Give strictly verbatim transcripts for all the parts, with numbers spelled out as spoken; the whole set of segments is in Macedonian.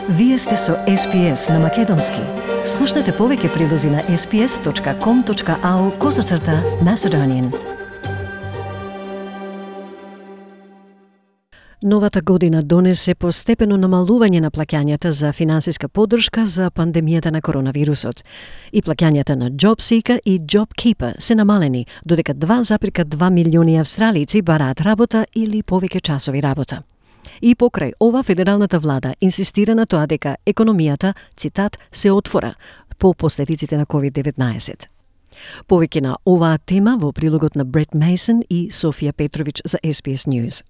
Вие сте со Ес Пи Ес на Македонски. Слушнете повеќе прилози на ес пи ес точка ком точка ау козацрта Macedonian. Новата година донесе постепено намалување на плаќањата за финансиска поддршка за пандемијата на коронавирусот. И плаќањата на JobSeeker и JobKeeper се намалени, додека два зарез два милиони австралици бараат работа или повеќе часови работа. И покрај ова, федералната влада инсистира на тоа дека економијата, цитат, се отвора по последиците на ковид деветнаесет. Повеќе на оваа тема во прилогот на Брет Мейсон и Софија Петрович за Ес Пи Ес News.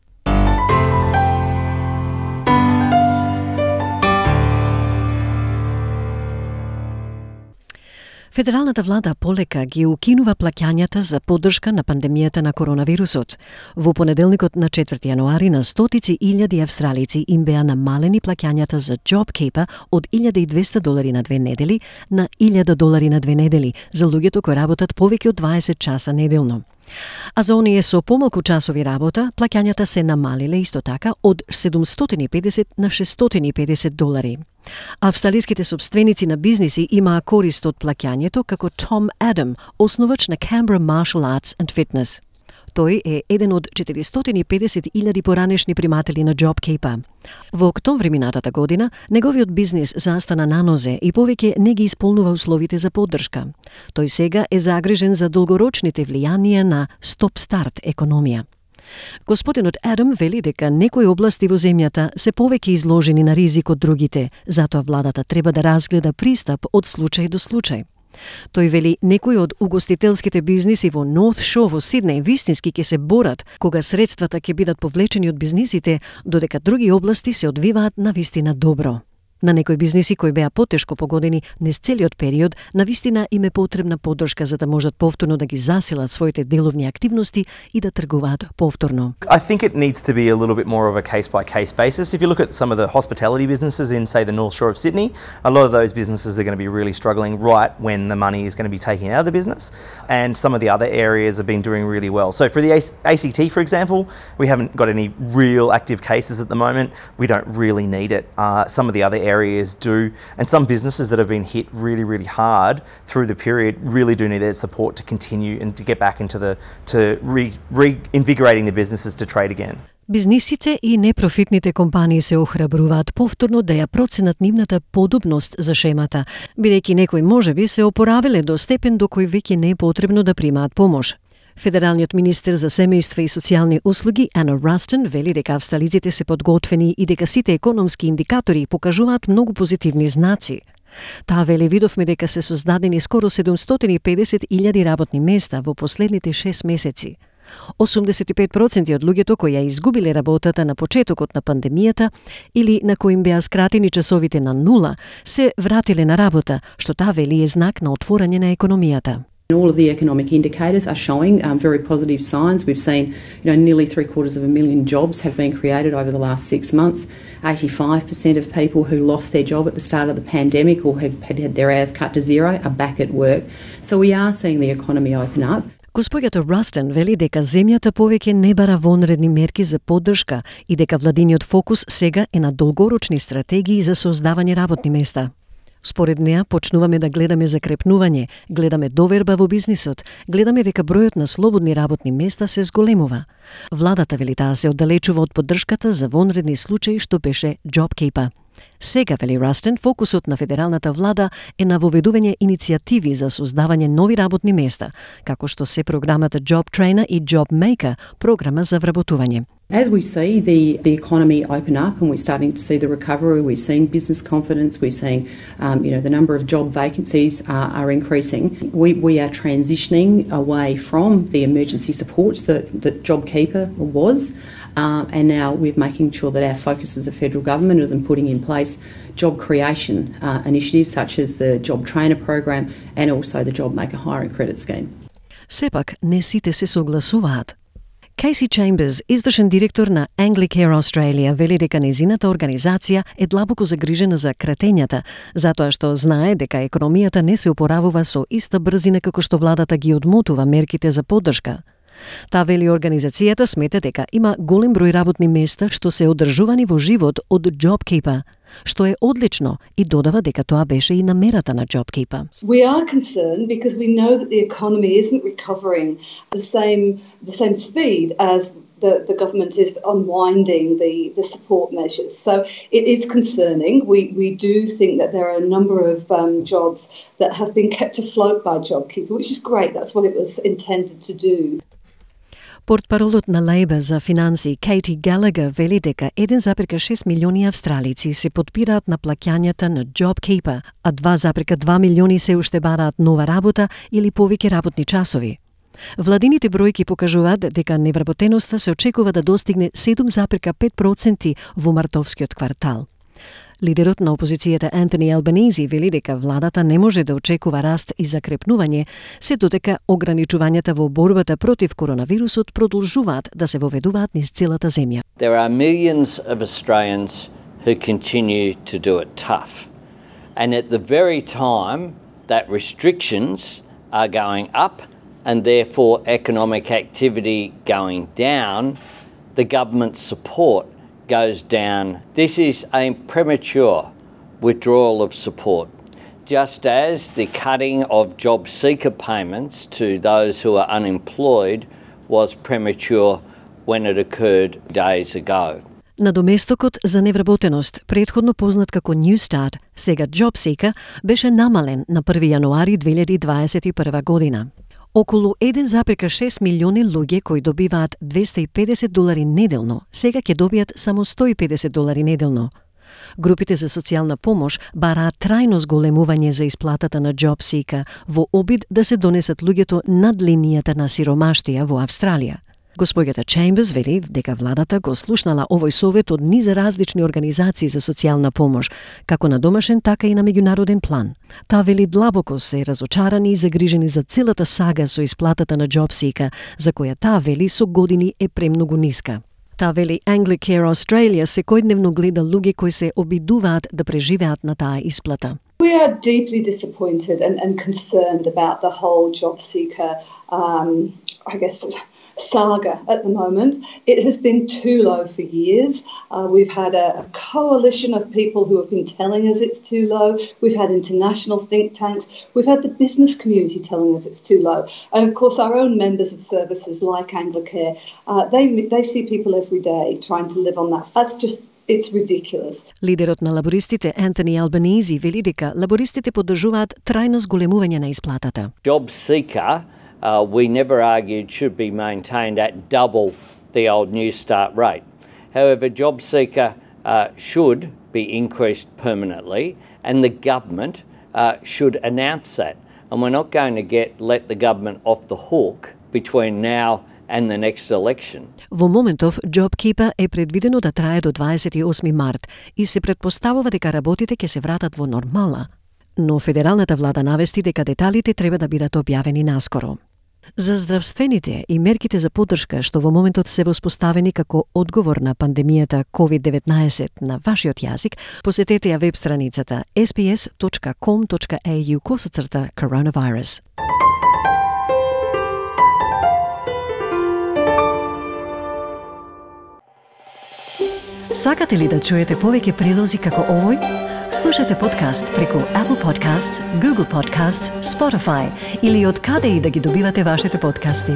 Федералната влада полека ги укинува плаќањата за поддршка на пандемијата на коронавирусот. Во понеделникот на четврти јануари на стотици илјади австралици им беа намалени плаќањата за JobKeeper од илјада и двесте долари на две недели на илјада долари на две недели за луѓето кои работат повеќе од дваесет часа неделно. А за оние со помалку часови работа, плаќањата се намалиле исто така од седумстотини и педесет на шестстотини и педесет долари. Австралиските собственици на бизниси имаа корист од плаќањето, како Том Адам, основач на Canberra Martial Arts and Fitness. Тој е еден од четиристотини и педесет илјади поранешни приматели на JobKeeper. Во октомври минатата година, неговиот бизнис застана на нозе и повеќе не ги исполнува условите за поддршка. Тој сега е загрижен за долгорочните влијанија на стоп-старт економија. Господинот Адам вели дека некои области во земјата се повеќе изложени на ризик од другите, затоа владата треба да разгледа пристап од случај до случај. Тој вели некои од угостителските бизниси во North Shore во Сиднеј вистински ќе се борат кога средствата ќе бидат повлечени од бизнисите, додека други области се одвиваат навистина добро. На некои бизниси кои беа потешко погодени низ целиот период, навистина им е потребна поддршка за да можат повторно да ги засилат своите деловни активности и да тргуваат повторно. I think it needs to be a little bit more of a case-by-case basis. If you look at some of the hospitality businesses in, say, the North Shore of Sydney, a lot of those businesses are going to be really struggling right when the money is going to be taken out of the business, and some of the other areas have been doing really well. So for the A C T, for example, we haven't got any real active cases at the moment. We don't really need it. Uh, some of the other areas areas do, and some businesses that have been hit really, really hard through the period really do need their support to continue and to get back into the, to re, reinvigorating the businesses to trade again. Бизнисите и непрофитните компании се охрабруваат повторно да ја проценат нивната подобност за шемата, бидејќи некои можеби се опоравиле до степен до кој веќе не е потребно да примаат помош. Федералниот министер за семејство и социјални услуги Ана Растен вели дека австралиците се подготвени и дека сите економски индикатори покажуваат многу позитивни знаци. Таа вели видовме дека се создадени скоро седумстотини и педесет илјади работни места во последните шест месеци. осумдесет и пет проценти од луѓето кои ја изгубиле работата на почетокот на пандемијата или на кои им беа скратени часовите на нула, се вратиле на работа, што таа вели е знак на отворање на економијата. All of the economic indicators are showing um, very positive signs. We've seen, you know, nearly three quarters of a million jobs have been created over the last six months. eighty-five percent of people who lost their job at the start of the pandemic or had had, had their hours cut to zero are back at work. So we are seeing the economy open up. Господјата Растен вели дека земјата повеќе не бара вонредни мерки за поддршка и дека владиниот фокус сега е на долгорочни стратегии за создавање работни места. Според неа, почнуваме да гледаме закрепнување, гледаме доверба во бизнисот, гледаме дека бројот на слободни работни места се зголемува. Владата вели таа се оддалечува од поддршката за вонредни случаи што беше JobKeeper. Сега, вели Растен, фокусот на федералната влада е на воведување иницијативи за создавање нови работни места, како што се програмата Job Trainer и Job Maker, програма за вработување. As we see the, the economy open up and we're starting to see the recovery, we're seeing business confidence, we're seeing um, you know, the number of job vacancies are, are increasing. We, we are transitioning away from the emergency supports that, that JobKeeper was, uh, and now we're making sure that our focus as a federal government is in putting in place job creation uh, initiatives such as the Job Trainer program and also the Job Maker hiring credit scheme. Сепак, не сите се согласуваат. Кейси Чемберс, извршен директор на Anglicare Australia, вели дека незината организација е длабоко загрижена за кратењата, затоа што знае дека економијата не се опоравува со иста брзина како што владата ги одмотува мерките за поддршка. Таа вели организацијата смета дека има голем број работни места што се одржувани во живот од JobKeeper. што е одлично и додава дека тоа беше и намерата на JobKeeper. We are concerned because we know that the economy isn't recovering the same the same speed as the, the government is unwinding the, the support measures. So it is concerning. We we do think that there are a number of um, jobs that have been kept afloat by JobKeeper, which is great. That's what it was intended to do. Портпаролот на Лейбър за финанси Кейти Галагер вели дека еден запирка шест милиони австралици се подпираат на плаќањата на JobKeeper, а два запирка два милиони се уште бараат нова работа или повеќе работни часови. Владините бројки покажуваат дека невработеноста се очекува да достигне седум запирка пет проценти во мартовскиот квартал. Лидерот на опозицијата Антони Албанези вели дека владата не може да очекува раст и закрепнување, се додека ограничувањата во борбата против коронавирусот продолжуваат да се воведуваат низ целата земја. There are millions of Australians who continue to do it tough. And at the very time that restrictions are going up and therefore economic activity going down, the government's support goes down. This is a premature withdrawal of support, just as the cutting of job seeker payments to those who are unemployed was premature when it occurred days ago. На доместокот за невработеност, претходно познат како New Start, сега JobSeeker, беше намален на први јануари две илјади дваесет и прва година. Околу еден запирка шест милиони луѓе кои добиваат двесте и педесет долари неделно, сега ќе добијат само сто и педесет долари неделно. Групите за социјална помош бараат трајно зголемување за исплатата на JobSeeker во обид да се донесат луѓето над линијата на сиромаштија во Австралија. Господјата Чемберс вели дека владата го слушнала овој совет од низа различни организации за социјална помош, како на домашен, така и на меѓународен план. Таа вели длабоко се разочарани и загрижени за целата сага со исплатата на JobSeeker, за која таа вели со години е премногу ниска. Таа вели Anglicare Australia секојдневно гледа луѓе кои се обидуваат да преживеат на таа исплата. We are deeply disappointed and, and concerned about the whole JobSeeker, um, I guess, saga at the moment. It has been too low for years. Uh, we've had a, a coalition of people who have been telling us it's too low. We've had international think tanks. We've had the business community telling us it's too low. And of course our own members of services like Anglicare, uh, they, they see people every day trying to live on that. That's just It's ridiculous. Лидерот на лабористите Антони Албанези вели дека лабористите поддржуваат трајно зголемување на исплатата. JobSeeker, uh, we never argued should be maintained at double the old New Start rate. However, JobSeeker uh, should be increased permanently, and the government uh, should announce that. And we're not going to get let the government off the hook between now and the next election. Во моментов, JobKeeper е предвидено да трае до дваесет и осми март и се претпоставува дека работите ќе се вратат во нормала. Но федералната влада навести дека деталите треба да бидат објавени наскоро. За здравствените и мерките за поддршка што во моментот се воспоставени како одговор на пандемијата ковид деветнаесет на вашиот јазик, посетете ја веб страницата ес би ес точка ком точка ей ю косацрта coronavirus. Сакате ли да чуете повеќе прилози како овој? Слушате подкаст преку Apple Podcasts, Google Podcasts, Spotify или од каде и да ги добивате вашите подкасти.